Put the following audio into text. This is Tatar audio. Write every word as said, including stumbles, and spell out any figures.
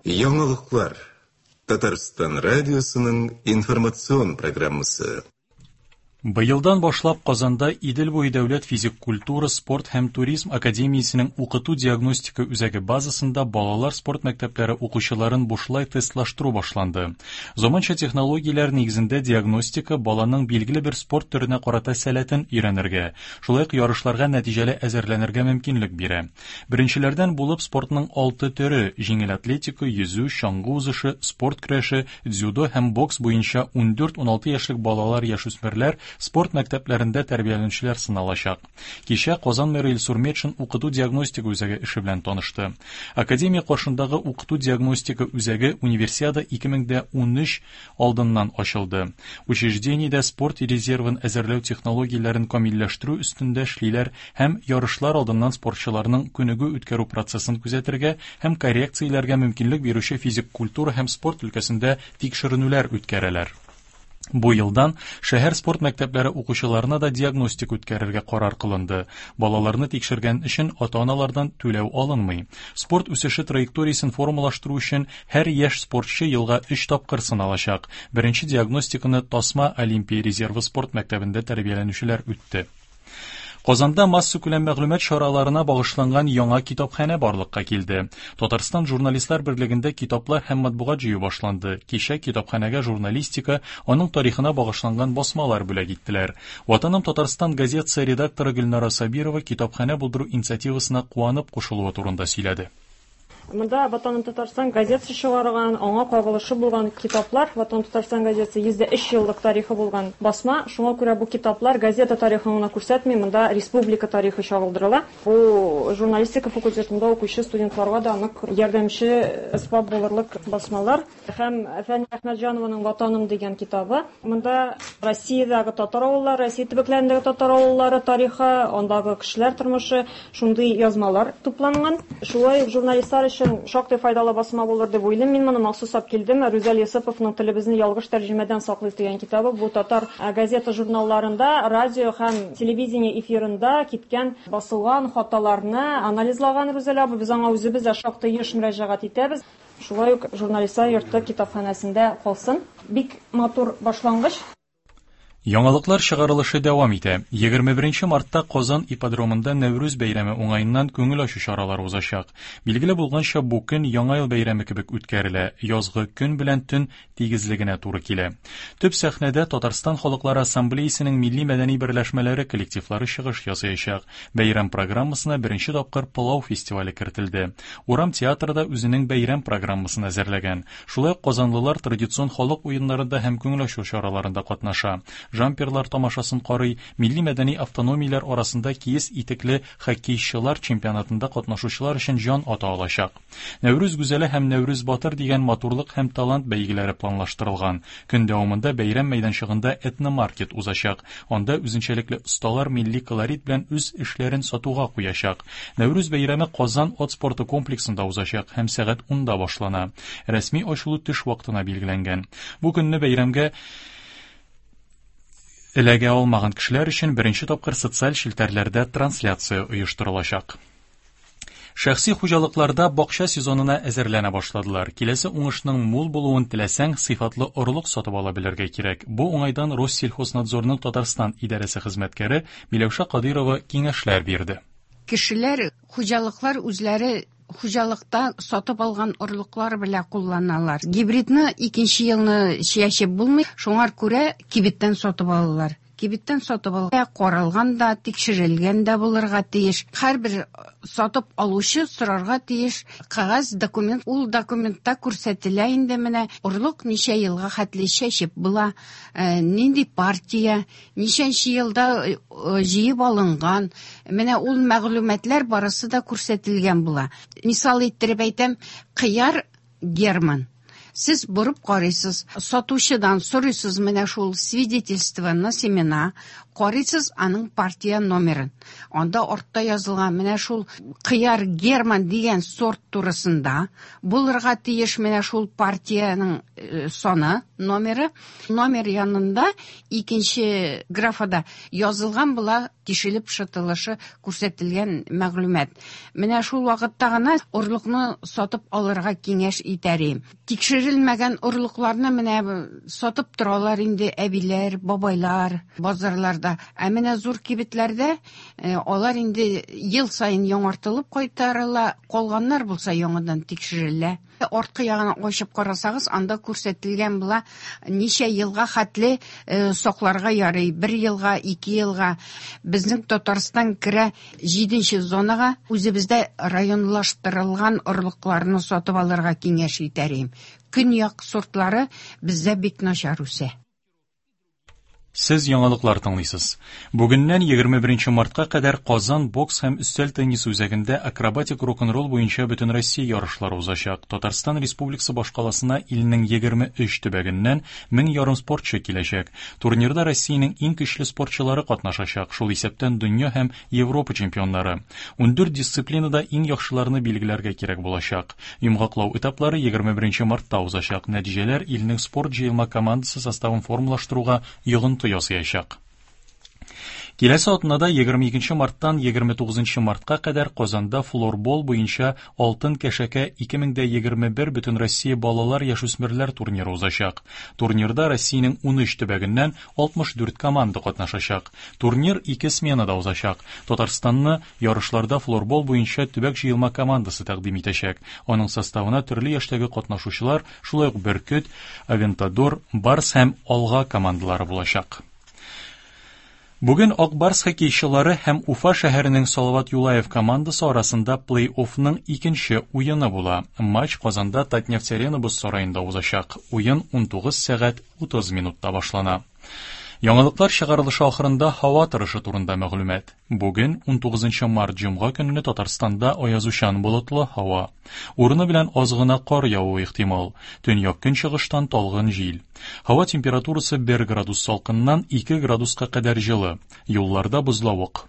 Яңалыклар. Татарстан радиосының информацион программасы. Быелдан башлап Казанда Идел буе дәүләт физик культура, спорт һәм туризм академиясенең укыту-диагностика үзәге базасында балалар спорт мәктәпләре укучыларын бушлай тестлаштыру башланды. Заманча технологияләр нигезендә диагностика баланың билгеле бер спорт төренә карата сәләтен өйрәнергә, шулай ук ярышларга нәтиҗәле әзерләнергә мөмкинлек бирә. Беренчеләрдән булып спортның алты төре – җиңел атлетика, йөзү, чаңгы узышы, спорт көрәше, дзюдо һәм бокс буенча ундүрт-уналты яшьлек балалар-яшүсмерләр спорт мәктәпләрендә тәрбияләнүчеләр сыналачак. Кичә Казан мэры Илсур Метшин укыту-диагностика үзәге эше белән танышты. Академия каршындагы укыту-диагностика үзәге Универсиада ике мең унөч алдыннан ачылды. Учреждениедә спорт резервын әзерләү технологияләрен камилләштерү өстендә эшлиләр һәм ярышлар алдыннан спортчыларның күнегү үткәрү процессын күзәтергә һәм коррекцияләргә мөмкинлек бирүче физик культура һәм спорт өлкәсендә тикшеренүләр үткәрәләр. Бу елдан шәһәр спорт мәктәпләре укучыларына да диагностика үткәрергә карар кылынды. Балаларны тикшергән өчен ата-аналардан түләү алынмый. Спорт үсеше траекториясен формалаштыру өчен һәр яшь спортчы елга өч тапкыр сыналачак. Беренче диагностиканы Тасма Олимпия резервы спорт мәктәбендә тәрбияләнүчеләр үтте. Казанда массакүләм мәгълүмат чараларына багышланган яңа китапханә барлыкка килде. Татарстан журналистлар берлегендә китаплар һәм матбугат җыю башланды. Кичә китапханәгә журналистика, аның тарихына багышланган басмалар бүләк иттеләр. Ватаным Татарстан газетасы редакторы Гөлнара Сабирова китапханә булдыру инициативасына куанып кушылуы турында сөйләде. Монда «Ватаным Татарстан» газетасы чыгарган, аңа кагылышы булган китаплар. «Ватаным Татарстан» газетасы йөз дә өч еллык тарихы булган басма. Шуңа күрә бу китаплар газета тарихын гына күрсәтми, монда республика тарихы чагылдырыла. Бу журналистика факультетында укучы студентларга да нык ярдәмче әсбап булырлык басмалар. Һәм Фәния Әхмәтҗанованың «Ватаным» дигән китабы. Монда Россиядәге татар авыллары, Россия төбәкләрендәге татар авыллары тарихы, андагы кешеләр тормышы, шундый язмалар тупланган. Шулай ук журналистлар өчен шактый файдалы басма булыр дип уйлыйм. Мин моны махсус алып килдем. Рүзәл Йосыповның «Телебезне ялгыш тәрҗемәдән саклыйк» дигән китабы. Бу татар газета журналларында, радио һәм телевидение эфирында киткән, басылган хаталарны анализлаган Рүзәл абый. Без аңа үзебез дә шактый еш мөрәҗәгать итәбез. Шулай ук журналистлар йорты китапханәсендә калсын. Бик матур башлангыч. Яңалыклар чыгарылышы дәвам итә. егерме беренче мартта Казан ипподромында Нәүрүз бәйрәме уңаеннан күңел ачу чаралары узачак. Билгеле булганча, бу көн Яңа ел бәйрәме кебек үткәрелә. Язгы көн белән төн тигезлегенә туры килә. Төп сәхнәдә Татарстан халыклары ассамблеясының милли мәдәни берләшмәләре коллективлары чыгыш ясаячак. Бәйрәм программасына беренче тапкыр пылау фестивале кертелде. Урам театры да үзенең бәйрәм программасын әзерләгән. Шулай ук казанлылар традицион халык уеннарында һәм күңел ачу чараларында катнаша. Жамперлар тамашасын карый, милли мәдәни автономияләр арасында киез итекле хоккейчылар чемпионатында катнашучылар өчен җан ата алачак. Нәүрүз гүзәле һәм Нәүрүз батыр дигән матурлык һәм талант бәйгеләре планлаштырылган. Көн дәвамында бәйрәм мәйданчыгында этномаркет узачак. Анда үзенчәлекле осталар милли колорит белән үз эшләрен сатуга куячак. Нәүрүз бәйрәме Казан ат спорты комплексында узачак һәм сәгать унда башлана. Рәсми ачылу төш вакытына билгеләнгән. Бу көнне бәйрәмгә эләгә алмаган кешеләр өчен беренче тапкыр социаль челтәрләрдә трансляция оештырылачак. Шәхси хуҗалыкларда бакча сезонына әзерләнә башладылар. Киләсе уңышның мул булуын теләсәң, сыйфатлы орлык сатып ала белергә кирәк. Бу уңайдан Россельхознадзорның Татарстан идарәсе хезмәткәре Миләүшә Кадырова киңәшләр бирде. Кешеләр, хуҗалыклар үзләре хуҗалыкта сатып алган орлыклар белән кулланалар. Гибридны икенче елны чәчеп булмый, шуңар күрә кибеттән сатып алалар. Кибеттән сатып алган каралган да, тикшерелгән дә булырга тиеш. Һәрбер сатып алучы сорарга тиеш кәгазь документ, ул документта күрсәтелә инде менә орлык ничә елга хәтле чәчеп була, э, нинди партия, ничәнче елда э, җыеп алынган. Менә ул мәгълүматлар барысы да күрсәтелгән була. Мисал иттереп әйтәм, кыяр Герман. Сез борып карыйсыз, сатучыдан сорыйсыз менә шул свидетельство на семена, Карыйсыз аның партия номерын. Анда артта язылган менә шул кыяр Герман дигән сорт турысында булырга тиеш менә шул партиянең саны, номеры. Номер янында икенче графада язылган була тишелеп шытылышы күрсәтелгән мәгълүмат. Менә шул вакытта гына орлыкны сатып алырга киңәш итәрем. Тикшерелмәгән орлыкларны менә сатып торалар инде әбиләр, бабайлар базарларда. Ә менә зур кибетләрдә алар инде ел саен яңартылып кайтарыла, калганнар булса яңадан тикшерелә. Арткы ягына ачып карасагыз, анда күрсәтелгән була ничә елга хәтле сакларга ярый, бер елга, ике елга. Безнең Татарстан керә җиденче зонага, үзебездә районлаштырылган орлыкларны сатып алырга киңәш итәрем. Көньяк сортлары бездә бик начар үсә. Сез яңалыклар тыңлыйсыз. Бүгеннән егерме беренче мартка кадәр Казан бокс һәм өстәл теннисы үзәгендә акробатик рок-н-ролл буенча Бөтенроссия ярышлары узачак. Татарстан Республикасы башкаласына илнең егерме өч төбәгеннән мең ярым спортчы киләчәк. Турнирда Россиянең иң көчле спортчылары катнашачак, шул исәптән дөнья һәм Европа чемпионнары. Ундүрт дисциплинада иң яхшыларны билгеләргә кирәк булачак. Йомгаклау этаплары егерме беренче мартта узачак. Нәтиҗәләр илнең спорт җыелма командасы составын формалаштыруга йогынты ясаячак. Киләсе атнада егерме икенче марттан егерме тугызынчы мартка кадәр Казанда флорбол буенча Алтын кәшәкә ике мең дә егерме бер Бөтенроссия балалар яшүсмерләр турниры узачак. Турнирда Россиянең унөч төбәгеннән алтмыш дүрт команда катнашачак. Турнир ике сменада узачак. Татарстанны ярышларда флорбол буенча төбәк җыелма командасы тәкъдим итәчәк. Аның составына төрле яшьтәге катнашучылар, шулай ук Бөркет, Авентадор, Барс һәм Алга командалары булачак. Бүген Ак Барс хоккейчылары һәм Уфа шәһәренең Салават Юлаев командасы арасында плей-оффның икенче уены була. Матч Казанда Татнефть Арена боз сараенда узачак. Уен унтугыз сәгать утыз минутта башлана. Яңалыклар чыгарылышы ахырында һава торышы турында мәгълүмат. Бүген унтугызынчы март җомга көнне Татарстанда аязучан болытлы һава. Урыны белән аз гына кар явуы ихтимал. Төньяк көнчыгыштан талгын җил. Һава температурасы бер градус салкыннан ике градуска кадәр җылы. Юлларда бозлавык.